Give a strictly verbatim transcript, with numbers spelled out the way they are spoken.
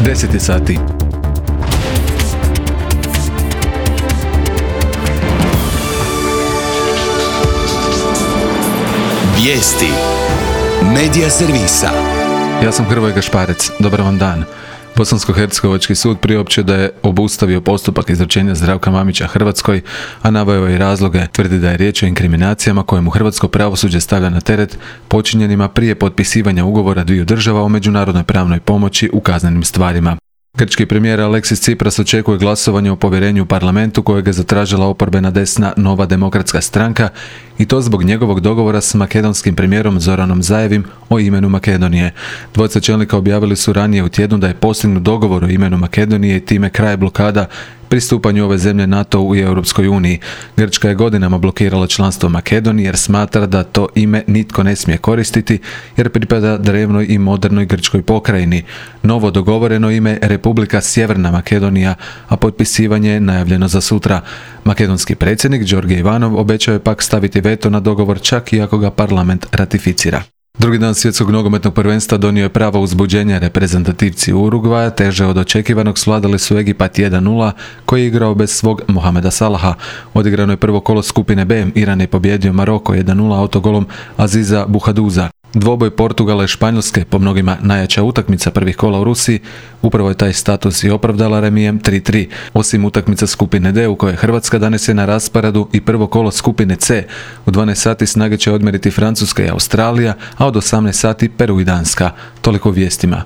deset je sati. Vijesti Medija servisa. Ja sam Hrvoje Gašparec. Dobar vam dan. Bosansko-hercegovački sud priopćio da je obustavio postupak izručenja Zdravka Mamića Hrvatskoj, a naveo je i razloge. Tvrdi da je riječ o inkriminacijama koje mu hrvatsko pravosuđe stavlja na teret počinjenima prije potpisivanja ugovora dviju država o međunarodnoj pravnoj pomoći u kaznenim stvarima. Grčki premijer Aleksis Tsipras očekuje glasovanje o povjerenju u parlamentu kojeg je zatražila oporbena desna Nova demokratska stranka, i to zbog njegovog dogovora s makedonskim premijerom Zoranom Zaevim o imenu Makedonije. Dvojica čelnika objavili su ranije u tjednu da je postignut dogovor o imenu Makedonije i time kraj blokada pristupanju ove zemlje NATO-u i Europskoj uniji. Grčka je godinama blokirala članstvo Makedonije jer smatra da to ime nitko ne smije koristiti jer pripada drevnoj i modernoj grčkoj pokrajini. Novo dogovoreno ime Republika Sjeverna Makedonija, a potpisivanje je najavljeno za sutra. Makedonski predsjednik Đorđe Ivanov obećao je pak staviti veto na dogovor čak i ako ga parlament ratificira. Drugi dan svjetskog nogometnog prvenstva donio je pravo uzbuđenje. Reprezentativci Urugvaja teže od očekivanog svladali su Egipat jedan nula, koji je igrao bez svog Mohameda Salaha. Odigrano je prvo kolo skupine B. Iran je pobjedio Maroko jedan nula autogolom Aziza Buhaduza. Dvoboj Portugala i Španjolske, po mnogima najjača utakmica prvih kola u Rusiji, upravo je taj status i opravdala remijem tri tri. Osim utakmica skupine D u kojoj Hrvatska danas je na rasporedu i prvo kolo skupine C. U dvanaest sati snage će odmjeriti Francuska i Australija, a od osamnaest sati Peru i Danska. Toliko u vijestima.